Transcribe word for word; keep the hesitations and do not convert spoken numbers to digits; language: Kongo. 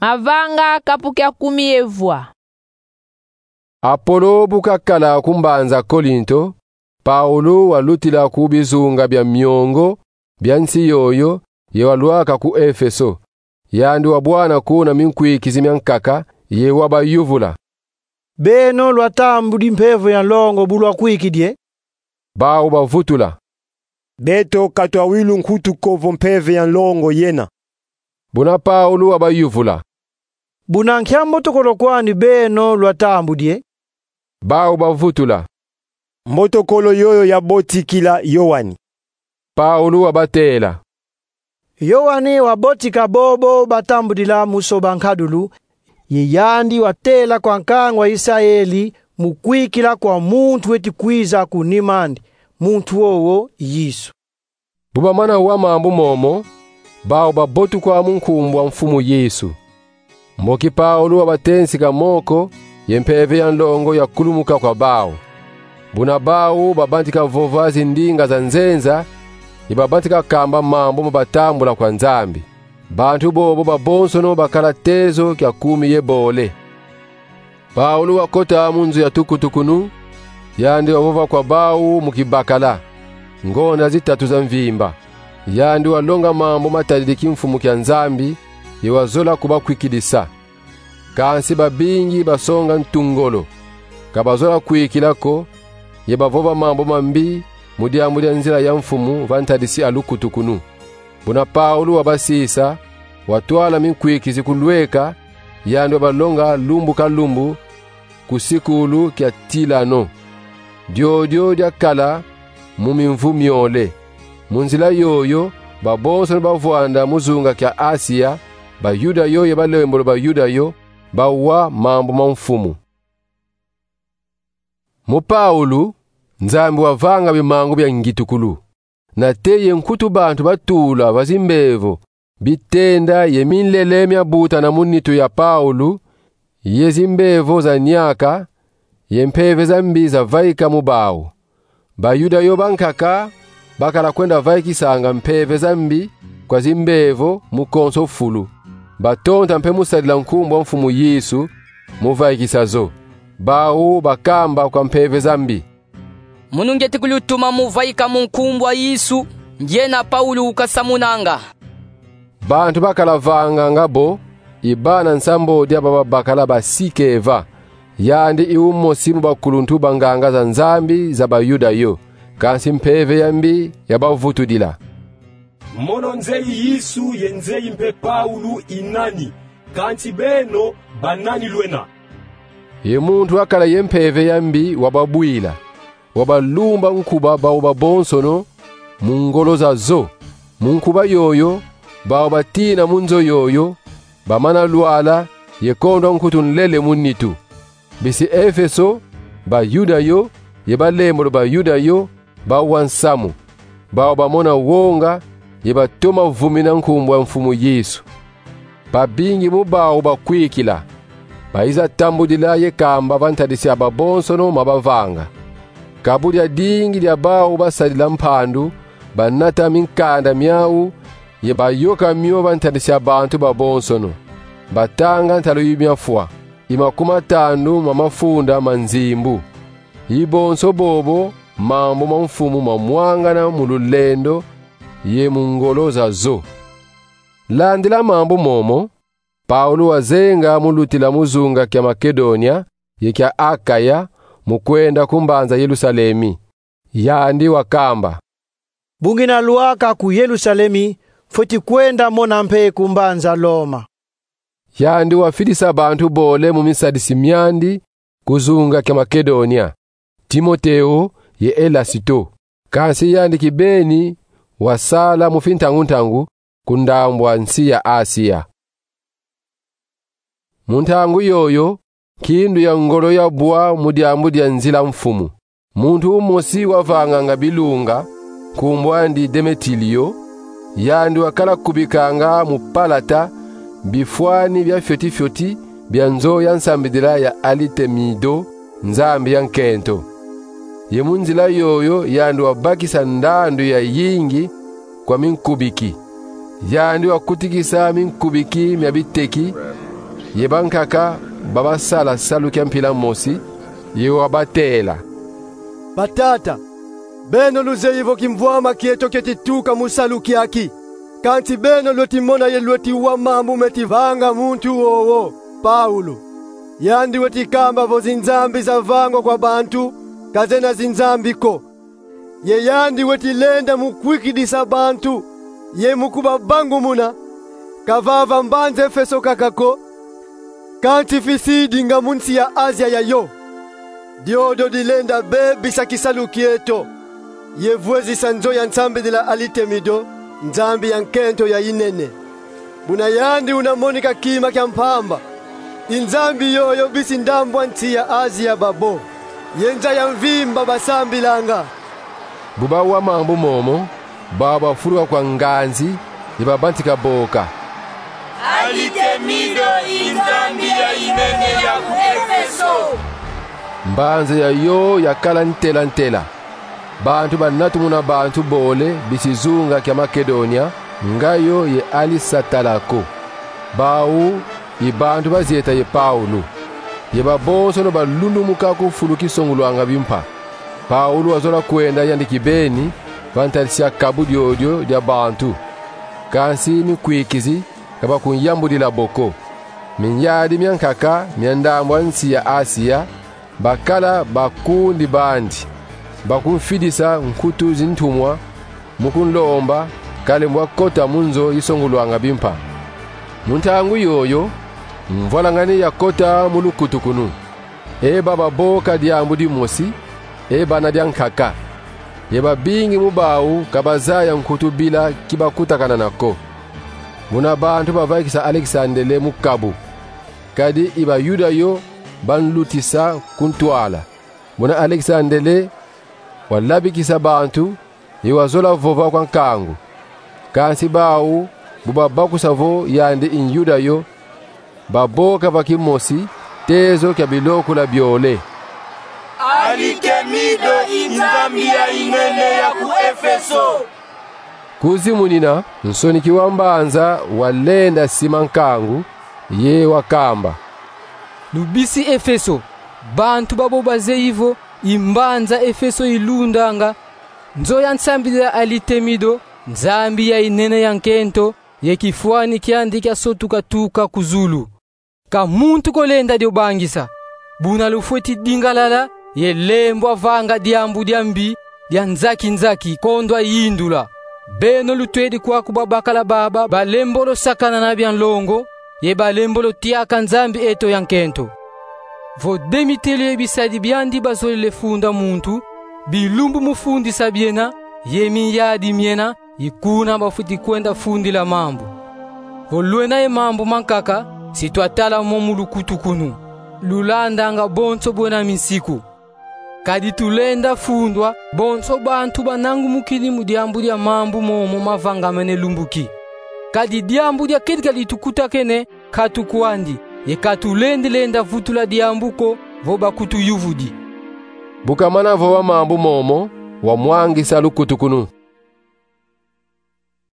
Mavanga kapu kia kumi ye vwa. Apolo bu kakala ku mbanza Kolinto, Paulo walutila ku bizunga bia miongo bia nsi yoyo, ye walwaka ku Efeso. Yandi wabwana kuna minkwikizi miankaka, ye wabayuvula: Beno lwatambudi mpeve ya nlongo bu lwakwikidi e? Bau bavutula: Beto ka twawilu nkutu ko vo mpeve ya nlongo yena. Buna Paulo wabayuvula: Buna nkia mbotokolo kwandi beno lwatambudi e? Bau bavutula: Mbotokolo yoyo yabotikila Yoani. Paulo wabatela: Yoani wabotika bobo batambudila mu soba nkadulu, ye yandi watela kwa nkangu a Isaeli mu kwikila kwa muntu weti kwiza ku nim'andi, muntu wowo Yesu. Bu bamana wa mambu momo, bau babotukwa mu nkumbu a Mfumu Yesu. Mboki Paulo wabatensika moko, ye mpeve ya nlongo yakulumuka kwa bau. Buna bau babantika vova zindinga za nzenza, ye babantika kamba mambu ma batambula kwa Nzambi. Bantu bobo babonsono bakala tezo kia kumi ye bole. Paulo wakota mu nzo ya tukutukunu, yandi wavova kwa bau mu kibakala ngonda zitatu za mvimba. Yandi walonga mambu matadidi kimfumu kia Nzambi, ye wazola kubakwikidisa. Kansi babingi basonga ntu ngolo, ka bazola kwikila ko, ye bavova mambu mambi mu diambu dia nzila ya Mfumu va ntadisi a lukutukunu. Buna Paulo wabasisa, watwala minkwikizi ku lweka, yandi wabalonga lumbu ka lumbu ku sikulu kia Tilano. Diodio diakala mu mimvu miole. Mu nzila yoyo, babonsono bavwanda mu zunga kia Asia, Bayuda yo ye balembolo Bayuda yo, bawa mambu ma Mfumu. Mu Paulo, Nzambi wavanga bimangu bia ngitukulu. Nate ye nkutu bantu batula va zimbevo bitenda ye minlele miabutana mu nitu ya Paulo, ye zimbevo za niaka, ye mpeve za mbi zavaika mu bau. Bayuda yo bankaka bakala kwenda vaikisanga mpeve za mbi kwa zimbevo mu konso fulu. Batonta mpe mu sadila nkumbu a Mfumu Yesu mu vaikisa zo. Bau bakamba kwa mpeve za mbi: Munu ngieti kulutuma mu vaika mu nkumbu a Yesu, ndiena Paulo ukasamunanga. Bantu bakala vanganga bo i bana nsambodi aba babakala ba Sikeva. Yandi i umosi mu bakuluntu ba nganga za Nzambi za Bayuda yo. Kansi mpeve ya mbi yabavutudila: Mono nzeyi Yesu ye nzeyi mpe Paulo i nani? Kansi beno banani lwena? Ye muntu wakala ye mpeve ya mbi wababwila, wabalumba nkuba bau babonsono mu ngolo za zo. Mu nkuba yoyo, bau batina mu nzo yoyo, bamana lwala ye kondwa nkutu nlele mu nitu. Bisi Efeso, Bayuda yo ye balembolo Bayuda yo bawa nsamu. Bau bamona wonga ye batoma vumina nkumbu a Mfumu Yesu. Babingi mu bau bakwikila, bayiza tambudila ye kamba va ntadisi a babonsono ma bavanga. Kabu dia dingi dia bau basadila mpandu, banata minkanda miau ye bayoka mio va ntadisi a bantu babonsono. Batanga ntalu yi miafwa, i makumatanu ma mafunda ma nzimbu. I bonso bobo mambu ma Mfumu mamwangana mu lulendo ye mu ngolo za zo. Landila mambu momo, Paulo wazenga mu lutila mu zunga kia Makedonia ye kia Akaya, mu kwenda ku mbanza Yerusalemi. Yandi wakamba: Bu ngina lwaka ku Yerusalemi, fweti kwenda mona mpe ku mbanza Loma. Yandi wafidisa bantu bole mu misadisi miandi ku zunga kia Makedonia: Timoteo ye Elasito. Kansi yandi kibeni wasala mu fintangu-ntangu ku ndambu a nsi ya Asia. Mu ntangu yoyo, nkindu ya ngolo yabwa mu diambu dia nzila Mfumu. Muntu umosi wavanganga bilunga, nkumbu andi Demetilio, yandi wakala kubikanga mu palata bifwani bia fioti-fioti bia nzo ya nsambidila ya Artemido, nzambi ya nkento. Ye mu nzila yoyo yandi wabakisa ndandu ya yingi kwa minkubiki. Yandi wakutikisa minkubiki mia biteki ye bankaka babasala salu kia mpila mosi, ye wabatela: Batata, beno luzeyi vo kimvwama kieto kieti tuka mu salu kiaki. Kansi beno lweti mona ye lweti wa mambu meti vanga muntu wowo, Paulo. Yandi weti kamba vo zinzambi zavangwa kwa bantu ka zena zinzambi ko. Ye yandi weti lenda mu kwikidisa bantu ye mu kubabangumuna, ka vava mbanza Efeso kaka ko, kansi fisidi nga mu nsi ya Azia yayo. Diodio dilenda bebisa kisalu kieto ye vwezisa nzo ya nsambidila Alitemido, nzambi ya nkento ya inene. Buna yandi una monika kima kia mpamba, i nzambi yoyo bisi ndambu a nsi ya Azia babo ye nza ya mvimba basambilanga. Bu bawa mambu momo, bawu bafuluka kwa nganzi, ye babantika boka: Alitemido i nzambi ya inene ya ku Efeso. Mbanza yayo yakala ntela-ntela. Bantu banatumuna bantu bole bisi zunga kia Makedonia, nga yo ye Alisatala ko. Bawu i bantu bazieta ye Paulo. Ye babonsono balundumuka ku fulu kisongulwanga bimpa. Paulo wazola kwenda yandi kibeni va ntadisi ya kabu diodio dia bantu. Kansi minkwikizi ka bakunyambudila bo ko. Minyadi miankaka mia ndambu a nsi ya Asia bakala bakundi bandi, bakumfidisa nkutu zintumwa, mu kunlomba ka lembwa kota mu nzo isongulwanga bimpa. Mu ntangu yoyo, mvwalangani yakota mu lukutukunu. E baba boka diambu dimosi, e bana diankaka. Ye babingi mu bawu ka bazaya nkutu bila ki bakutakanana ko. Muna bantu bavaikisa Alexandele mu kabu, kadi i Bayuda yo banlutisa ku ntwala. Muna Alexandele walabikisa bantu, ye wazola vova kwa nkangu. Kansi bawu, bu babakusa vo yandi i Nyuda yo, baboka va kimosi tezo kia bilokula biole: Alitemido i nzambi ya inene ya ku Efeso. Kuzimunina, nsoniki wa mbanza walenda sima nkangu, ye wakamba: Lubisi Efeso, bantu babo bazeyi vo i mbanza Efeso ilundanga, nzo ya nsambidila Alitemido, nzambi ya inene ya nkento, ye kifwani kiandi kiasotuka tuka ku zulu. Ka muntu ko lenda dio bangisa. Buna lufweti dingalala ye lembwa vanga diambu dia mbi, dia nzaki-nzaki, kondwa yindula. Beno lutwedi kwaku babakala baba balembolo sakana na bia nlongo, ye balembolo tiaka Nzambi eto ya nkento. Vo Demetrio ye bisadi biandi bazolele funda muntu, bilumbu mu fundisa biena, ye minyadi miena, i kuna bafweti kwenda fundila mambu. Vo lwena ye mambu mankaka, si twatala mo mu lukutukunu, lulandanga bonso bwena minsiku. Kadi tulenda fundwa, bonso bantu banangumukini mu diambu dia mambu momo mavangamene lumbu ki. Kadi diambu dia kedika ditukutakene nkatu kwandi, ye ka tulendi lenda vutula diambu ko vo bakutuyuvudi. Bu kamana vova mambu momo, wamwangisa lukutukunu.